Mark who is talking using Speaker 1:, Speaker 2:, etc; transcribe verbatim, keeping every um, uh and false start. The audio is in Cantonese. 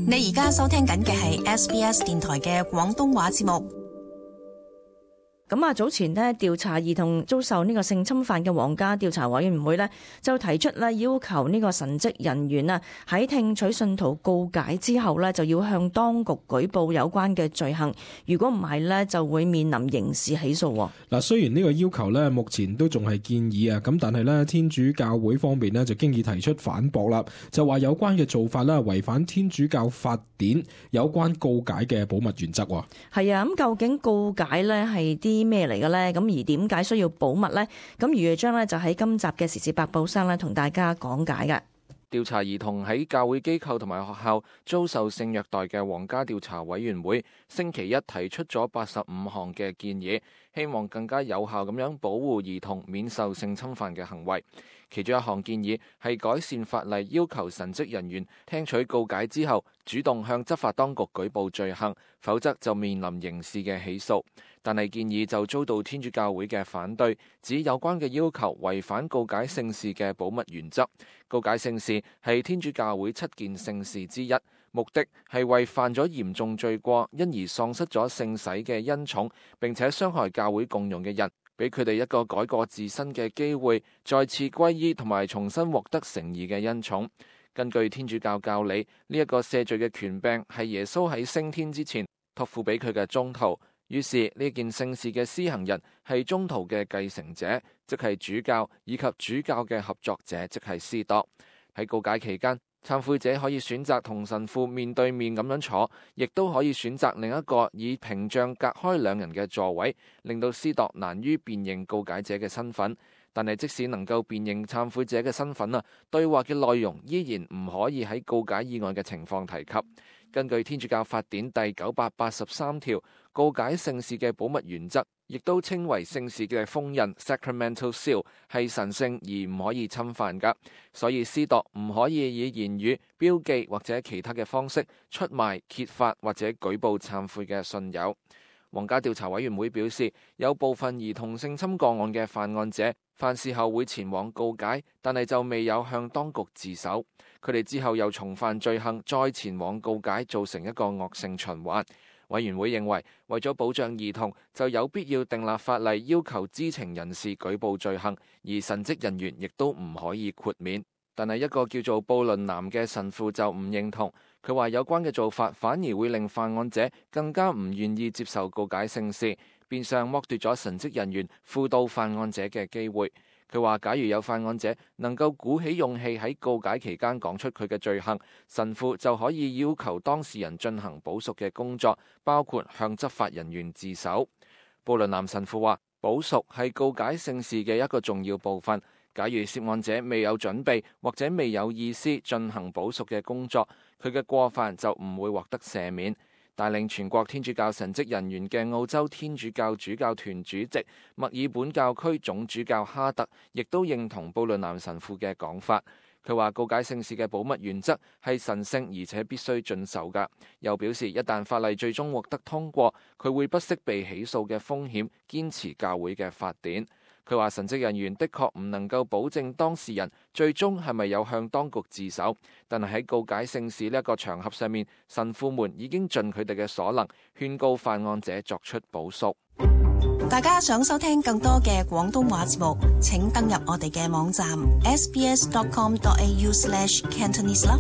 Speaker 1: 你而家收聽緊嘅係 S B S 電台嘅廣東話節目。
Speaker 2: 咁啊，早前呢調查兒童遭受呢個性侵犯嘅皇家調查委員會呢，就提出咧要求呢個神職人員啊喺聽取信徒告解之後呢，就要向當局舉報有關嘅罪行，如果唔係呢，就會面臨刑事起訴。
Speaker 3: 嗱，雖然呢個要求呢目前都仲係建議啊，咁但係呢天主教會方面呢就經已提出反駁啦，就話有關嘅做法呢違反天主教法典有關告解嘅保密原則。
Speaker 2: 係啊，咁究竟告解呢係啲咩嚟嘅呢？咁而點解需要保密呢？咁余偉章呢就喺今集嘅時事百寶箱呢同大家講解嘅。
Speaker 4: 調查兒童喺教會機構同埋學校遭受性虐待嘅皇家調查委員會星期一提出咗八十五項嘅建議，希望更加有效咁樣保護兒童免受性侵犯嘅行為。其中一項建議係改善法例，要求神職人員聽取告解之後主動向執法當局舉報罪行，否則就面臨刑事嘅起訴。但係建議就遭到天主教會嘅反對，指有關嘅要求違反告解聖事嘅保密原則。告解聖事係天主教會七件聖事之一，目的係為犯咗嚴重罪過因而喪失咗聖洗嘅恩寵並且傷害教會共用嘅人，俾佢哋一個改過自新嘅機會，再次歸依同埋重新獲得誠意嘅恩寵。根據天主教教理，呢、這、一個赦罪嘅權柄係耶穌喺升天之前託付俾佢嘅宗徒，於是呢件聖事嘅施行人係宗徒嘅繼承者，即係主教以及主教嘅合作者，即係司鐸。喺告解期間，懺悔者可以選擇同神父面對面咁樣坐，亦都可以選擇另一個以屏障隔開兩人嘅座位，令到司鐸難於辨認告解者嘅身份。但係即使能夠辨認懺悔者嘅身份啊，對話嘅內容依然唔可以喺告解以外嘅情況提及。根據天主教法典第九百八十三條，告解聖事嘅保密原則，亦都稱為聖事嘅封印 （Sacramental Seal），係神聖而唔可以侵犯噶。所以司鐸唔可以以言語、標記或者其他嘅方式出賣、揭發或者舉報懺悔嘅信友。皇家調查委員會表示，有部分兒童性侵個案嘅犯案者犯事後會前往告解，但係就未有向當局自首。佢哋之後又重犯罪行，再前往告解，造成一個惡性循環。委員會認為，為咗保障兒童，就有必要訂立法例，要求知情人士舉報罪行，而神職人員亦都唔可以豁免。但係一個叫做布倫南嘅神父就唔認同，佢話有關嘅做法反而會令犯案者更加唔願意接受告解聖事，變相剝奪咗神職人員輔導犯案者嘅機會。佢話假如有犯案者能夠鼓起勇氣喺告解期間講出佢嘅罪行，神父就可以要求當事人進行補贖嘅工作，包括向執法人員自首。布倫南神父話，補贖係告解聖事嘅一個重要部分。假如涉案者未有準備或者未有意思進行補贖嘅工作，佢嘅過犯就唔會獲得赦免。帶領全國天主教神職人員嘅澳洲天主教主教團主席墨爾本教區總主教哈特亦都認同布倫南神父嘅講法。佢話告解聖事嘅保密原則係神聖而且必須遵守㗎。又表示一旦法例最終獲得通過，佢會不惜被起訴嘅風險，堅持教會嘅法典。佢話神職人員的確唔能夠保證當事人最終係咪有向當局自首，但係喺告解聖事呢一個場合上面，神父們已經盡佢哋嘅所能，勸告犯案者作出補贖。
Speaker 1: 大家想收聽更多嘅廣東話節目，請登入我哋嘅網站 s b s dot com dot a u slash cantonese 啦。